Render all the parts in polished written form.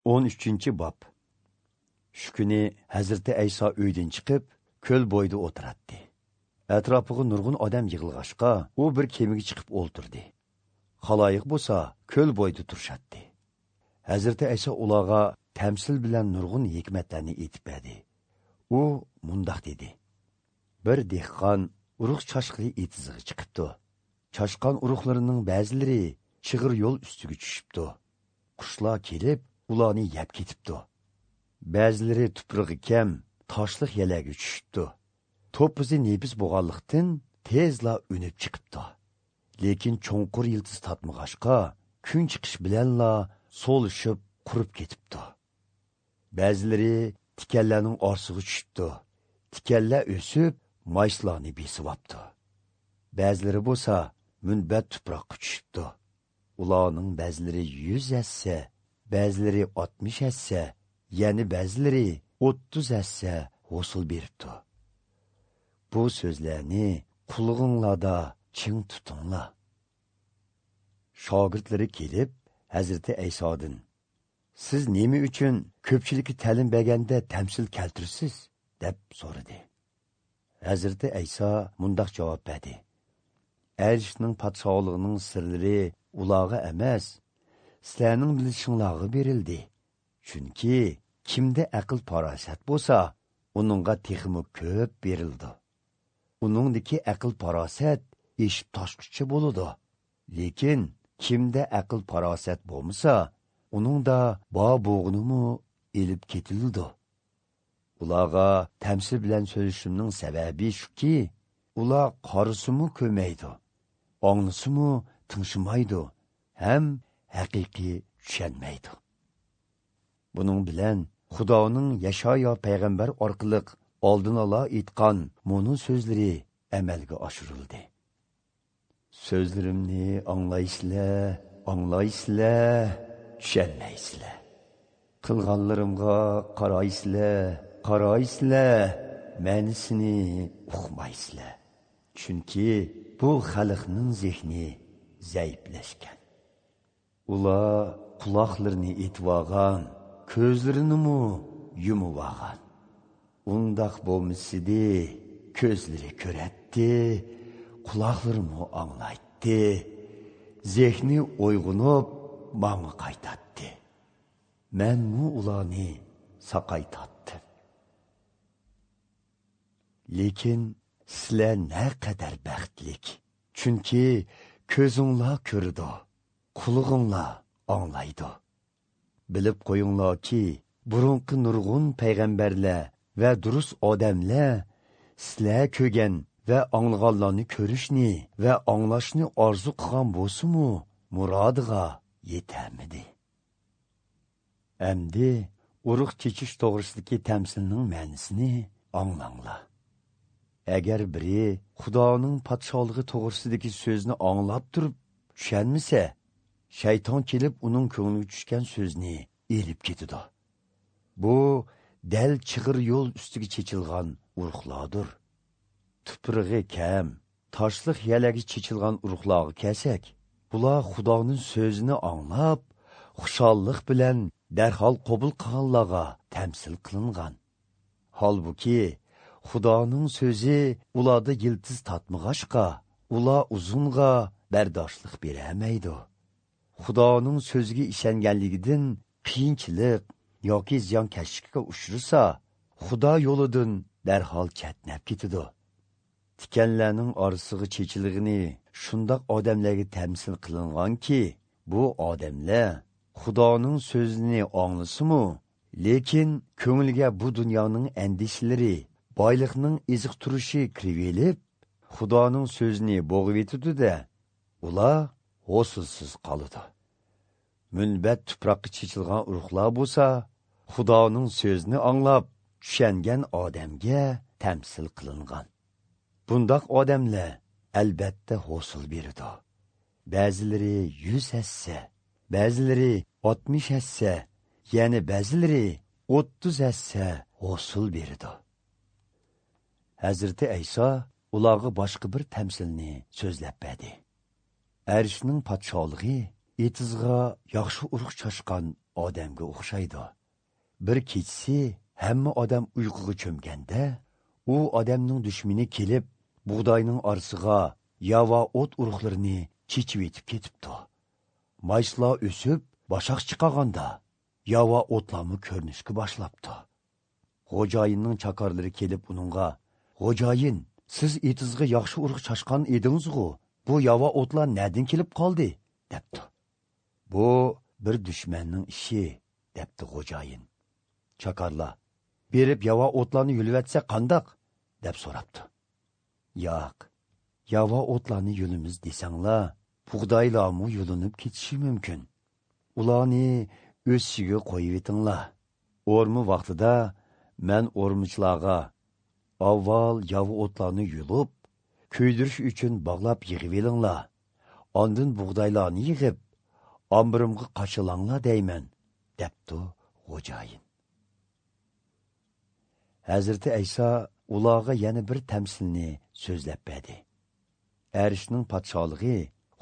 13-ci bab. Şu günü Hazreti İsa öydən çıxıb, köl boyda oturatdı. Ətrafığı nurgun adam yığılğaşqa, o bir kemiga chiqib o'ltirdi. Xaloyiq bo'lsa, köl boyda turşatdı. Hazreti İsa ularga tamsil bilan nurgun hikmatlarni aytib berdi. U mundaq dedi: Bir dehqon urug' chashqili etizig'i chiqibdi. Chashqan urug'larining ba'zilari chig'ir yo'l ustiga tushibdi. Qushlar kelib, ularni yeb ketibdi. Ba'zilari tuprog'i kam, toshliq yalaga tushibdi. To'pizi nebiz bo'lganlikdan tezla unib chiqibdi. Lekin cho'nqur yildiz tatmag'ashqa, kun chiqish bilanla so'lishib, qurib ketibdi. Ba'zilari tikanlarning orsiga tushibdi. Tikanlar o'sib, mayslarni besibapti. Ba'zilari bo'lsa, munbat tuproqqa tushibdi. Ularning ba'zilari 100 hassa, ba'zilari 60 hassa, yani ba'zilari 30 hassa hosil beribdi. Bu so'zlarni qulog'inglarda ching tutinglar. Shogirdlari kelib, Hazreti İsa'dan: Siz nima uchun ko'pchilikka ta'lim berganda tamsil keltirsiz? deb so'radi. Hazreti İsa mundaq javob berdi: Arishning podshohligining sirlari ularga emas, sizlarning bilishinglarga berildi. Chunki kimda aql farosat bo'lsa, uningga texmi ko'p berildi. Uningdagi aql farosat eshib toshqichi bo'ladi. Lekin kimda aql farosat bo'lmasa, uningda bo'g'inimi elib ketildi. Ularga tamsil bilan so'zlashimning sababi shuki, ular qarasimi ko'maydi, anglasimi tingshimaydi, ham haqiqiy tushunmaydi. Buning bilan Xudoning Yashaya payg'ambar orqali oldin ola aytgan munu so'zlari amalga oshirildi. So'zlarimni anglaysizlar, tushunmaysizlar. Qilganlarimga qaraysizlar, ma'nisini uqmaysizlar. Chunki bu xalqning zehni zaiflashgan. Ular quloqlarini etvagan, ko'zlarini yumvagan. Undaq bo'lmasidi, ko'zlari ko'ratdi, quloqlari anglaydi, zehni uyg'unib, ma'ni qaytatdi. Men ularni saqaytatdim. Lekin sizlar naqadar baxtlik. Chunki ko'zinglar ko'rdi, qulog'inglar anglaydi. Bilib qo'yinglarki, burunqi nurg'un payg'ambarlar va durust odamlar sizlar ko'rgan va anglaganlarni ko'rishni va anglashni orzu qilgan bo'lsa-mu, murodiga yetamidi. Endi urug' chechish to'g'risidagi tamsilning ma'nosini anglanglar. Agar biri Xudoning podshohligi to'g'risidagi so'zni anglab turib tushunmasa, shayton kelib uning ko'ngliga tushgan so'zni elib ketadi. Bu dal chig'ir yo'l ustiga chechilgan urug'lardir. Tuprog'i kam, toshliq yalaga chechilgan urug'larga kelsak, bular Xudoning so'zini anglab, xushallik bilan darhol qabul qilganlarga tamsil qilingan. Holbuki Xudoning so'zi ularda yildiz tatmag'ashqa, ular uzunga bardoshlik beramaydi. Xudoning so'ziga ishonganligidan qiyinchilik yoki ziyonkashlikka uchrasa, Xudo yo'lidan darhol chatnab ketadi. Tikanlarning orasiga chechilg'ini shundoq odamlarga tamsil qilinganki, bu odamlar Xudoning so'zini anglasimi, lekin ko'ngliga bu dunyoning andishlari, boylikning eziq turishi kirib, Xudoning so'zini bo'g'ib etadi-da, ular hosilsiz qoladi. Munbat tuproqqa chechilgan urug'lar bo'lsa, Xudoning so'zini anglab, tushungan odamga tamsil qilingan. Bundoq odamlar albatta hosil beradi. Ba'zilari 100 hassa, ba'zilari 60 hassa, yani ba'zilari 30 hassa hosil beradi. Hazreti İsa ularga boshqa bir tamsilni so'zlab berdi. Arishning podshohligi etizga yaxshi urug' chashqan odamga o'xshaydi. Bir kechsi hamma odam uyquga cho'mganda, u odamning dushmani kelib, bug'doyning orasiga yava o't urug'larini chechib etib ketibdi. Mayslar o'sib, bashaq chiqaganda, yava o'tlarni ko'rinishga boshlabdi. Xo'jayinning chakorlari kelib uningga, "Xo'jayin, siz etizga yaxshi urug' chashqan edingiz-ku, bu yava o'tlar nerdan kelib qoldi?" debdi. "Bu bir dushmanning ishi", debdi xo'jayin. Chakorlar, "Berib yava o'tlarni yulvatsa qandaq?" deb so'rabdi. "Yo'q, yava o'tlarni yulimiz desanglar, bug'doylarmi yulinib ketishi mumkin. Ularni o'sishiga qo'yib etinglar. O'rmi vaqtida men o'rmichlarga avval yava o'tlarni yulib, ko'ydirish uchun bog'lab yig'ib elinglar. Ondan bug'doylarni yig'ib, ombirimga qachilanglar deyman", debdi xo'jayin. Hazreti Ayso ularga yana bir tamsilni so'zlab berdi. Arishning podshohligi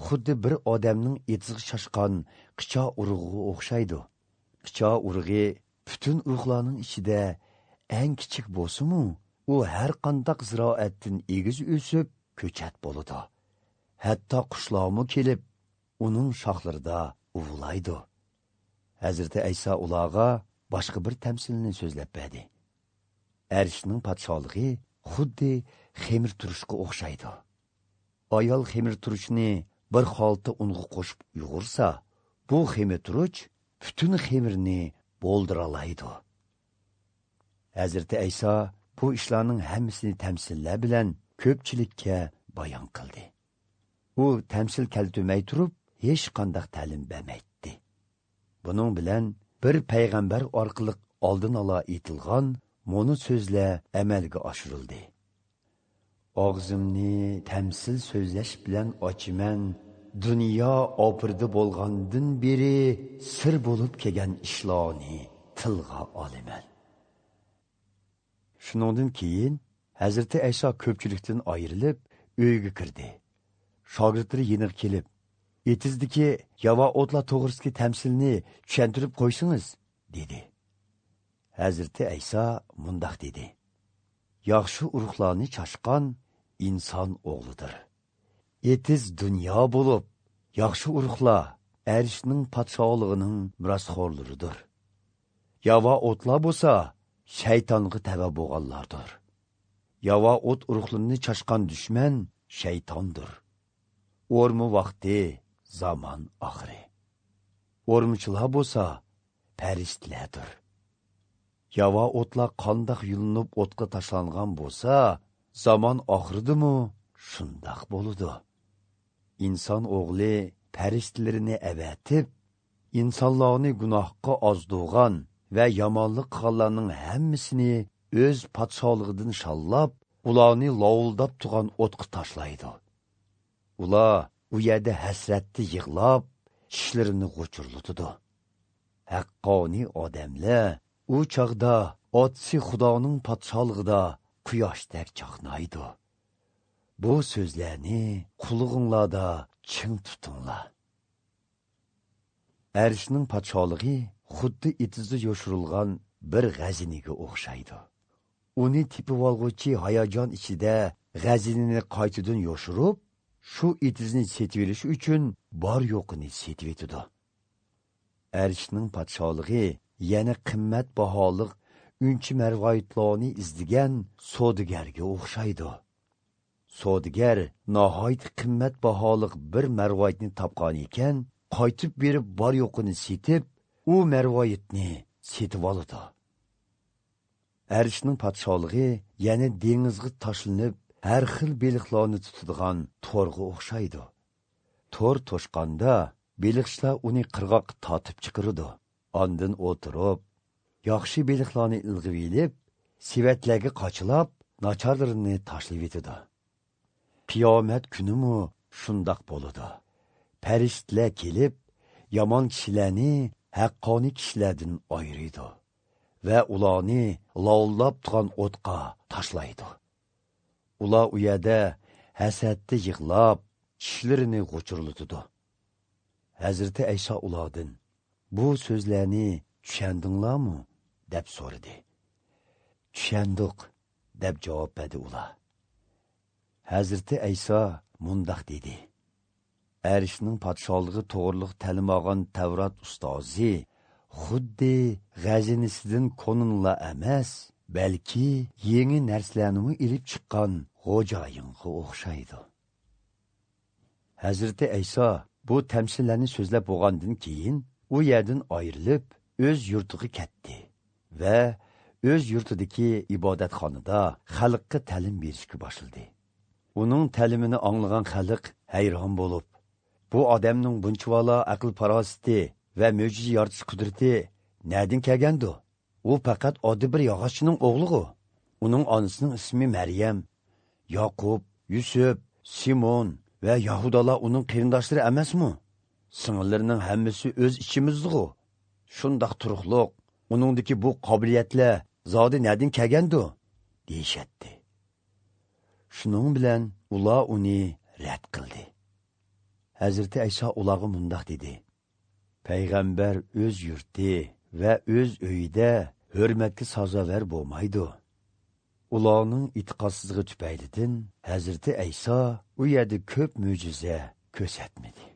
xuddi bir odamning etizga shashqan qicho urug'iga o'xshaydi. Qicho urug'i butun urug'larning ichida eng kichik bo'lsa-mu, u har qanday ziroatdan egiz o'sib, ko'chat bo'ladi. Hatto qushlarmi kelib, uning shoxlarida uvlaydi. Hazreti Ayso ularga boshqa bir tamsilni so'zlab berdi. Arishning podshohligi xuddi xemir turishga o'xshaydi. Ayol xemir turishni bir xolta unga qo'shib uyg'ursa, bu xemir turuch butun xemirni bo'ldiralaydi. Hazreti Ayso bu ishlarning hammasini tamsillar bilan ko'pchilikka bayon qildi. U tamsil keltirmay turib, hech qanday ta'lim bermaydi. Buning bilan bir payg'ambar orqali oldin ola aytilgan mo'ni so'zlar amalga oshirildi. "Og'zimni tamsil so'zlash bilan ochiman, dunyo opirdi bo'lgandan beri sir bo'lib kelgan ishlarni tilga olaman." Shuningdan keyin Hazreti Ayso ko'pchilikdan ayrilib uyga kirdi. Shogirdlari yeniq kelib, "Etizdagi yava o'tlar to'g'risidagi tamsilni tushuntirib qo'ysingiz", dedi. Hazreti Ayso mundaq dedi: "Yaxshi urug'larni chashqan inson o'g'lidir. Etiz dunyo bo'lib, yaxshi urug'lar Arishning podshohligining mirosxo'rlaridir. Yava o'tlar bo'lsa, shaytonga tava bo'lganlardir. Yava o't urug'larini chashqan dushman shaytondir. O'rmi vaqti zamon oxiri. O'rmichilar bo'lsa, farishtalardir. Yava o'tlar qandoq yulinib o'tga tashlangan bo'lsa, zamon oxiridimi shundoq bo'ladi. Inson o'g'li farishtalarini avatib, insonlarni gunohga ozdirgan va yomonlik qilganlarning hammasini o'z podshohligidan shallab, ularni lovuldab turgan o'tga tashlaydi. Ular u yerda hasratni yig'lab, tishlarini g'uchurlatadi. Haqqoniy odamlar u chog'da otsi Xudoning podshohligida quyoshdek chaqnaydi. Bu so'zlarni qulog'inglarda ching tutinglar. Arishning podshohligi xuddi etizda yoshirilgan bir g'aziniga o'xshaydi. Uni tepib olg'uchi hayajon ichida g'azinini qaytadan yoshirib, shu etizni setverish uchun bor yo'qini setvetidi. Arishning podshohligi yana qimmat baholiq unchi marvoyitlarni izdigan savdogarga o'xshaydi. Savdogar nihoyat qimmat baholiq bir marvoyitni topgan ekan, qaytib berib bor yo'qini setib, u marvoyitni setib oladi. Arishning podshohligi yana dengizga tashlanib, har xil beliqlarni tutadigan to'rga o'xshaydi. To'r to'shqanda beliqchilar uni qirg'oqqa tortib chiqaradi. Ondan o'tirib, yaxshi beliqlarni ilg'ib elib, sevatlarga qochilab, nacharlarini tashlab etadi. Qiyomat kunimi shundoq bo'ladi. Farishtalar kelib, yomon kishilarni haqqoniy kishilardan ayiradi va ularni lovullab turgan o'tqa tashlaydi. Ular u yerda hasadda yig'lab, tishlarini g'uchurlatadi. Hazreti Ayso ulardan: bu so'zlarni tushundinglarmi? deb so'radi. Tushundik, deb javob berdi ular. Hazrati Ayso mundoq dedi. Erishning podshohligi to'g'riliq ta'lim olgan Tavrat ustozi xuddi g'azinisidan konunla emas, balki yangi narsalarni ilib chiqqan xo'jayinga o'xshaydi. Hazrati Ayso bu tamsillarni so'zlab bo'lgandan keyin u yerdan ayrilib o'z yurtiga ketdi va o'z yurtidagi ibodatxonada xalqqa ta'lim berishga boshladi. Uning ta'limini anglagan xalq hayron bo'lib, bu odamning bunchavala aql farosati va mo'jiza yaratish qudrati nerdan kelgandi? U faqat oddiy bir yog'ochchining o'g'li. Uning onasining ismi Maryam, Yoqub, Yusuf, Simon va Yahudalar uning qarindoshlari emasmi? Singillarining hammasi o'z ichimizda. Shundoq turuqliq, uningdagi bu qobiliyatlar zodi nerdan kelgandi? deyishatdi. Shuning bilan ular uni rad qildi. Hazrati Ayso ularga mundoq dedi. Payg'ambar o'z yurti va o'z uyida hurmatga sazovor bo'lmaydi. Ularning e'tiqodsizligi tufaylidan Hazrati Ayso u yerda ko'p mo'jiza ko'rsatmadi.